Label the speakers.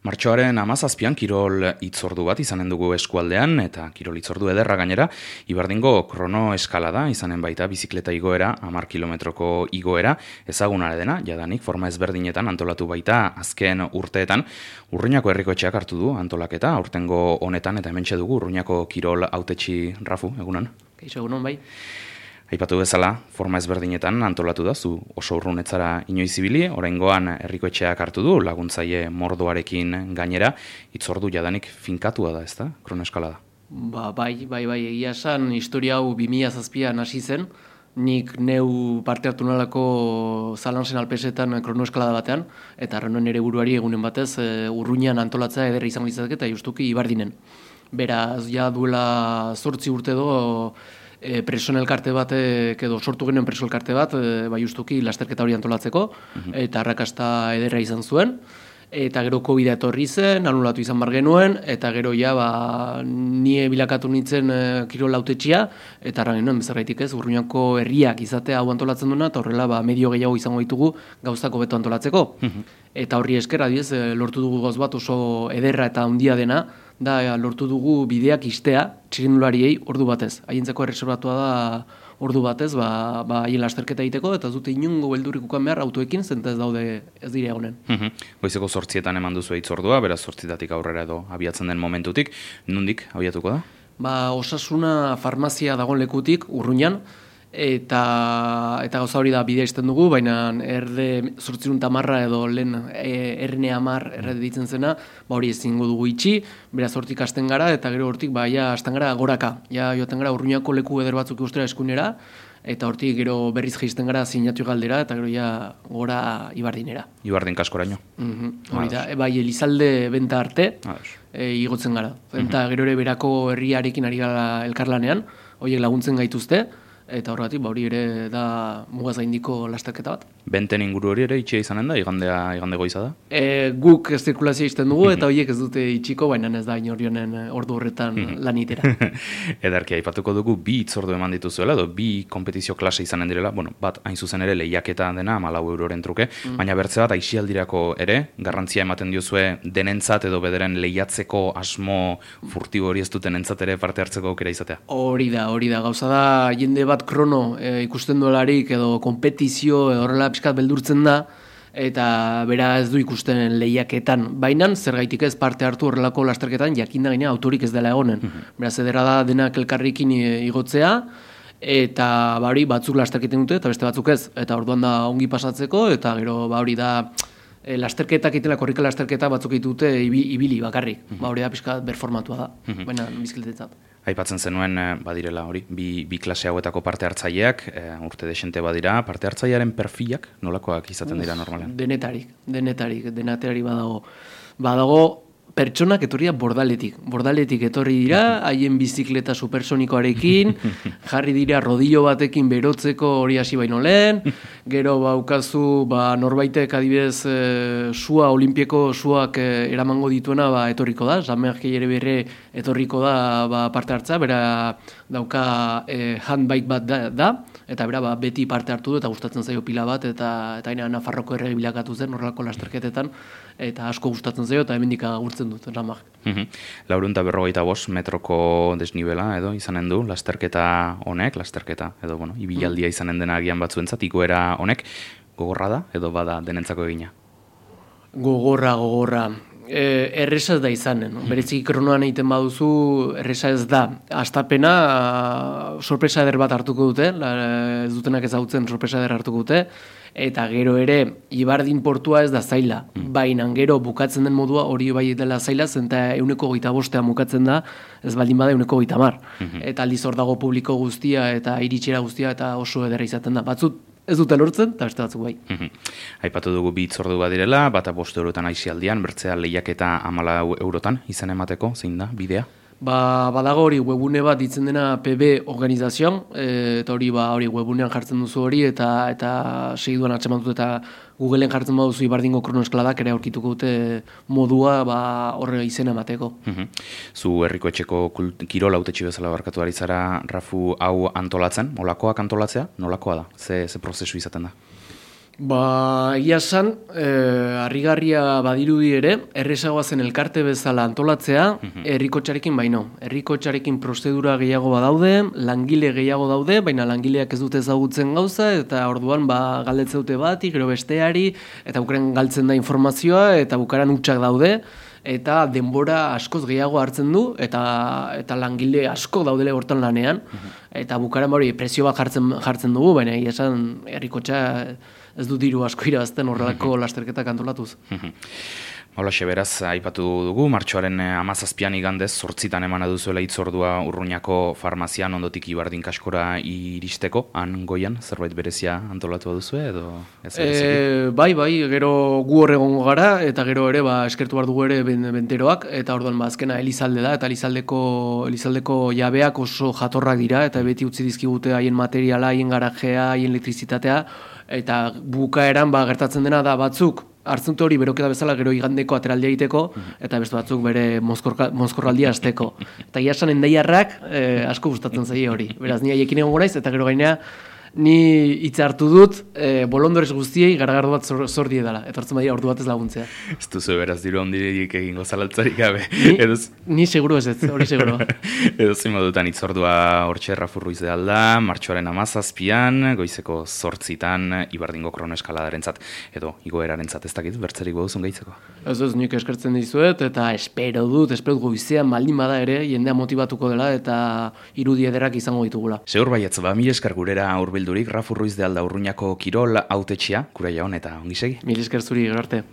Speaker 1: Martxoaren 17an kirol hitzordu bat izanen dugu eskualdean, eta kirol hitzordu ederra gainera, Ibardingo krono eskalada izanen baita bizikleta igoera, 10 kilometroko igoera, ezaguna dena, jadanik forma ezberdinetan antolatu baita azken urteetan. Urruñako herrikoetxeak hartu du antolaketa, aurtengo honetan eta hementxe dugu Urruñako kirol hautetsi Rafu, egunon?
Speaker 2: Kaixo, egunon bai.
Speaker 1: Aipatu bezala, forma ezberdinetan antolatu da, zu oso urrunetzara inoiz ibili, oraingoan herrikoetxeak hartu du, laguntzaile mordoarekin gainera, hitzordu jadanik finkatua da, ezta? Kronoeskalada.
Speaker 2: Bai, egia esan, historia hau 2007an hasi zen, nik neu parte hartu nolako Zalansen Alpesetan kronoeskalada batean, eta arrenoen ere buruari egunen batez, Urruñan antolatzea ederra izango litzateke eta justuki Ibardinen. Beraz, ja duela 8 urte do, preso elkarte bat, edo sortu genuen preso elkarte bat, justuki lasterketa hori antolatzeko, eta arrakasta ederra izan zuen, eta gero COVID etorri zen, anulatu izan bar genuen, eta gero ja, nie bilakatu nintzen kirol hautetxia, eta arra genuen, bezarraitik ez, Urruñako herriak izatea hau antolatzen duena, eta horrela medio gehiago izango ditugu gauzako beto antolatzeko. Eta horri esker, adiez, lortu dugu gauz bat oso ederra eta handia dena, da lortu dugu bideak istea txirrindulariei ordu batez. Haientzako erreserbatua da ordu batez, haien lasterketa egiteko, eta ez dute inungo beldurrik ukan behar autoekin, zenta ez dire egonen.
Speaker 1: Goizeko 8etan eman duzu hitzordua, beraz 8etatik aurrera edo abiatzen den momentutik, nondik abiatuko da?
Speaker 2: Osasuna farmazia dagoen lekutik, Urruñan, eta gauza hori da bidea izten dugu, baina erde 810 edo lehen erne 10 errede ditzen zena, hori ezingo dugu itxi, beraz hortik hasten gara, eta gero hortik hasten gara goraka. Ja joaten gara Urruñako leku eder batzuk ikustera eskunera, eta hortik gero berriz jaisten gara Zinatu galdera, eta gero ja gora Ibardinera.
Speaker 1: Ibardin kaskoraino.
Speaker 2: Hori da, Elizalde benta arte, igotzen gara. Eta gero ere berako herriarekin ari gara elkarlanean, horiek laguntzen gaituzte, eta horregatik, hori ere da mugaz gaindiko lasterketa bat.
Speaker 1: Benten inguru hori ere itxia izanen da, igande goiza da?
Speaker 2: Guk ez zirkulazioa izten dugu, eta horiek ez dute itxiko, baina ez da inorionen ordu horretan lanitera.
Speaker 1: Edarki, aipatuko dugu bi hitzordu eman dituzuela, edo bi kompetizio klase izanen direla, bat hain zuzen ere lehiaketa dena, 14 euroren truke, baina bertze bat aixialdirako ere, garrantzia ematen diozue denentzat edo bederen lehiatzeko asmo furtibo hori ez duten entzat ere parte hartzeko aukera izatea.
Speaker 2: Hori da, gauza da, jende bat krono ikusten duelarik edo kompetizio horrela pixkat beldurtzen da, eta bera ez du ikusten lehiaketan. Baina zergaitik ez parte hartu horrelako lasterketan jakinda gainea autorik ez dela egonen. Beraz edera da denak elkarrekin igotzea, eta hori batzuk lasterketen dute eta beste batzuk ez. Eta orduan da ongi pasatzeko, eta gero hori da lasterketak itela, korrika lasterketa batzuk ditute ibili bakarrik. Hori da pixkat berformatua da, baina bizikletetzat.
Speaker 1: Aipatzen zenuen, badirela hori, bi klase hauetako parte hartzaileak, urte desente badira, parte hartzailearen perfilak nolakoak izaten dira normalean?
Speaker 2: Denetari badago pertsonak etorria bordaletik etorri dira, haien bizikleta supersonikoarekin, jarri dira rodillo batekin berotzeko hori hasi baino lehen, gero baukazu norbaitek adibidez sua, olimpieko suak eramango dituena etorriko da, Samerkei ere berre etorriko da parte hartza, bera dauka handbike bat da, eta bera beti parte hartu du eta gustatzen zaio pila bat, eta Nafarroko errege bilakatu zen horrelako lasterketetan, eta asko gustatzen zaio, eta hemendik agurtzen dut, ramak.
Speaker 1: 455 metroko desnibela edo izanen du, lasterketa honek, edo ibilaldia izanen dena agian batzuentzat, igoera honek, gogorra da edo bada denentzako egina?
Speaker 2: Gogorra. Erresa ez da izanen. Berezik kronoan egiten baduzu, erresa ez da. Astapena sorpresa eder bat hartuko dute, ez dutenak ezagutzen sorpresa eder hartuko dute, eta gero ere, Ibardin portua ez da zaila. Baina gero bukatzen den modua hori bai dela zaila, zenta 125 bukatzen da, ez baldin bada 130. Eta aldiz hor dago publiko guztia eta iritxera guztia eta oso ederra izaten da. Batzut ez dute lortzen, eta beste batzuk bai.
Speaker 1: Aipatu dugu bi hitzordu badirela, bata 5 eurotan aixialdian, bertzea lehiaketa 14 eurotan izan emateko, zein da, bidea?
Speaker 2: Badago hori webune bat ditzen dena PB organizazioan, eta hori webunean jartzen duzu hori, eta segiduan atxeman dut eta Googleen jartzen baduzu Ibardingo kronoeskaladak ere aurkituko dute modua horre izena emateko.
Speaker 1: Zu herrikoetxeko kirol hautetsi bezala barkatu ari zara, Rafu, hau antolatzen, olakoak antolatzea, nolakoa da? Ze prozesu izaten da?
Speaker 2: Egia esan, harrigarria badirudi ere, errezagoa zen elkarte bezala antolatzea, herrikotxarekin baino. Herrikotxarekin prozedura gehiago badaude, langile gehiago daude, baina langileak ez dute ezagutzen gauza, eta orduan galdetzen dute bati, gero besteari, eta bukaren galtzen da informazioa, eta bukaran hutsak daude, eta denbora askoz gehiago hartzen du, eta langile asko daudele hortan lanean, eta bukaran presio bat jartzen dugu, baina egia esan herrikotxa ez du diru asko irabazten horrelako lasterketak antolatuz.
Speaker 1: Holaxe beraz, aipatu dugu, martxoaren 17an igandez, 8 emana duzuela hitzordua Urruñako farmazian ondotik Ibardin kaskora iristeko, han goian, zerbait berezia antolatu duzue edo ez bereziki?
Speaker 2: Bai, gero gu hor egongo gara, eta gero ere eskertu behar dugu ere benteroak, eta orduan azkena Elizalde da, eta Elizaldeko jabeak oso jatorrak dira, eta beti utzi dizkigute haien materiala, haien garajea, haien elektrizitatea, eta bukaeran gertatzen dena da batzuk, hartzen dute hori beroketa bezala gero igandeko ateraldia egiteko, eta beste batzuk bere mozkorraldia hasteko. Eta iasan endaiarrak asko gustatzen zaie hori. Beraz, ni haiekin egongo naiz, eta gero gainea, ni hitza hartu dut, bolondorez guztiei garagardo bat zor diedala. Etortzen badia ordu batez laguntzea.
Speaker 1: Ez duzu beraz diru handirik egingo zalaltzarik gabe.
Speaker 2: Ni seguru ez, hori seguru.
Speaker 1: Edo zein modutan hitzordua hortxe Rafurruiz de alda, martxoaren 17an, goizeko 8 Ibardingo kronoeskaladarentzat edo igoerarentzat, ez dakit, bertzerik boduzun gehitzeko?
Speaker 2: Ez, nik eskertzen dizuet, eta espero dut goizean baldin bada ere, jendea motibatuko dela, eta irudi ederrak izango ditugula.
Speaker 1: Segur baietz, mil esker gurera hurbildurik, Rafurruiz de alda Urruñako kirol hautetxea, kura jaun eta ongi segi.
Speaker 2: Mil esker zuri, gero arte.